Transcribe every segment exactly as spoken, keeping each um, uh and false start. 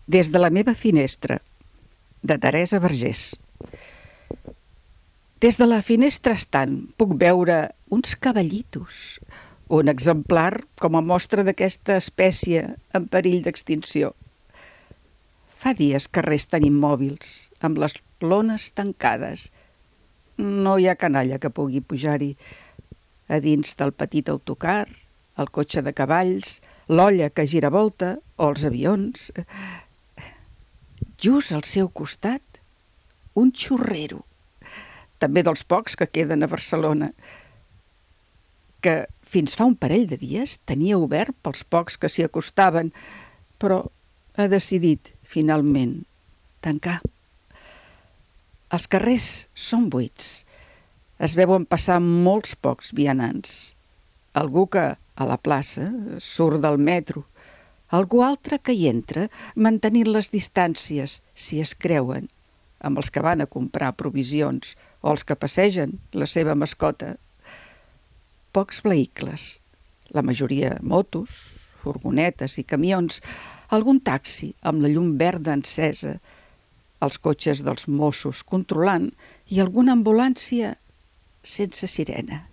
Des de la meva finestra, de Teresa Vergés. Des de la finestra estant puc veure uns cavallitos, un exemplar com a mostra d'aquesta espècie en perill d'extinció. Fa dies que resten immòbils, amb les lones tancades. No hi ha canalla que pugui pujar-hi. A dins del petit autocar, el cotxe de cavalls, l'olla que gira volta o els avions. Just al seu costat, un xurrero, també dels pocs que queden a Barcelona, que fins fa un parell de dies tenia obert pels pocs que s'hi acostaven, però ha decidit, finalment, tancar. Els carrers són buits. Es veuen passar molts pocs vianants. Algú que, a la plaça, surt del metro. Algú altre que hi entra, mantenint les distàncies, si es creuen, amb els que van a comprar provisions o els que passegen la seva mascota. Pocs vehicles, la majoria motos, furgonetes i camions, algun taxi amb la llum verda encesa, els cotxes dels Mossos controlant i alguna ambulància sense sirena.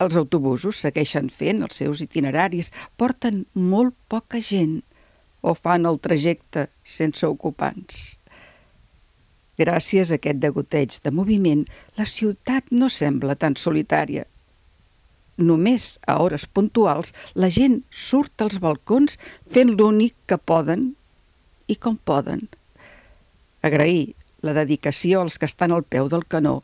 Els autobusos segueixen fent els seus itineraris, porten molt poca gent o fan el trajecte sense ocupants. Gràcies a aquest degoteig de moviment, la ciutat no sembla tan solitària. Només a hores puntuals la gent surt als balcons fent l'únic que poden i com poden. Agrair la dedicació als que estan al peu del canó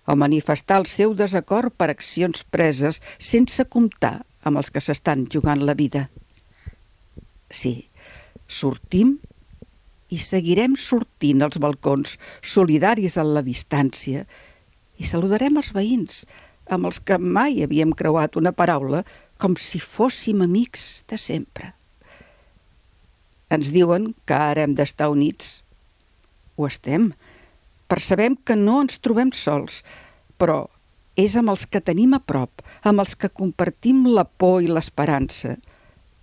o manifestar el seu desacord per accions preses sense comptar amb els que s'estan jugant la vida. Sí, sortim i seguirem sortint als balcons, solidaris a la distància, i saludarem els veïns, amb els que mai havíem creuat una paraula, com si fóssim amics de sempre. Ens diuen que ara hem d'estar units. Ho estem. Percebem que no ens trobem sols, però és amb els que tenim a prop, amb els que compartim la por i l'esperança,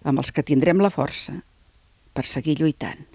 amb els que tindrem la força per seguir lluitant.